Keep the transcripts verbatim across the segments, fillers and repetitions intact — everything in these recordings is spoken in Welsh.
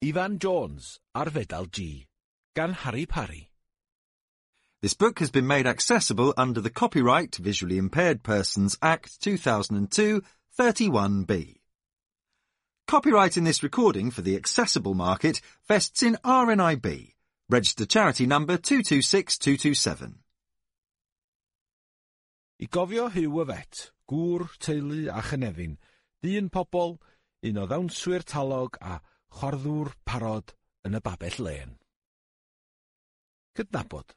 Ifan Jones a'r Fedal G, gan Harry Parry. This book has been made accessible under the Copyright Visually Impaired Persons Act two thousand two, thirty-one B. Copyright in this recording for the accessible market vests in R N I B, registered charity number two two six two two seven. I gofio Hugh y Fet, gŵr, teulu a chynefin, dyn pobl, un o ddawnswyr talog a chwarddwr parod yn y babell lên. Cydnabod.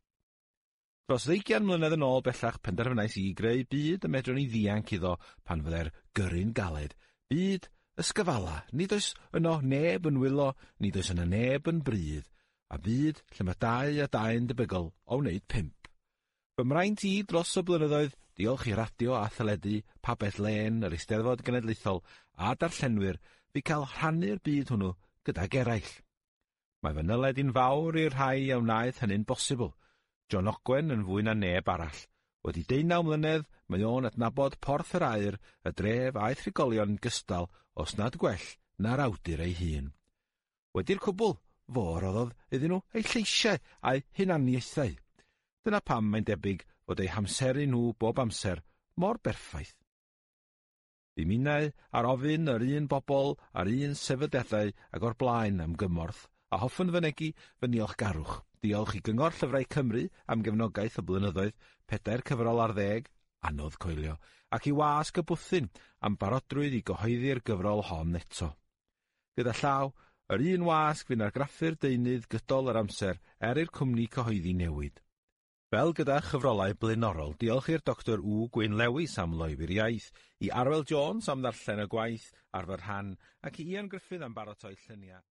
Dros ddeugain mlynedd yn ôl bellach penderfynais i greu byd y medrwn i ddianc iddo pan fyddai'r gyrru'n galed. Byd ysgyfala, nid oes yno neb yn wylo, nid oes yno neb yn brydd, a byd lle mae dau a dau'n debygol o wneud pump. Fy mraint i dros y blynyddoedd, diolch i radio a theledu, pabell lên, yr Eisteddfod Genedlaethol a darllenwyr, fi cael rhannu'r byd hwnnw gydag eraill. Mae fy nyled i'n fawr i'r rhai a wnaeth hynny'n bosibl. John Ogwen yn fwy na neb arall. Wedi deunaw mlynedd, mae o'n adnabod Porth yr Aur, y dref a'i thrigolion gystal, os nad gwell, na'r awdur ei hun. Wedi'r cwbl, fo roddodd iddyn nhw eu lleisiau a'u hunaniaethau. Dyna pam mae'n debyg fod eu hamseru nhw bob amser mor berffaith. Fy minnau ar ofyn yr un bobl a'r un sefydliadau ag o'r blaen am gymorth, a hoffwn fynegi fy niolchgarwch. Diolch i Gyngor Llyfrau Cymru am gefnogaeth y blynyddoedd, pedair cyfrol ar ddeg, anodd coelio, ac i Wasg y Bwthyn am barodrwydd i gyhoeddi'r gyfrol hon eto. Gyda llaw, yr un wasg fu'n argraffu'r deunydd gydol yr amser er i'r cwmni cyhoeddi newid. Fel gyda chyfrolau blaenorol, diolch i'r Doctor W Gwyn Lewis am loywi'r iaith, i Arwel Jones am ddarllen y gwaith ar fy rhan, ac i Ian Griffith am baratoi lluniau.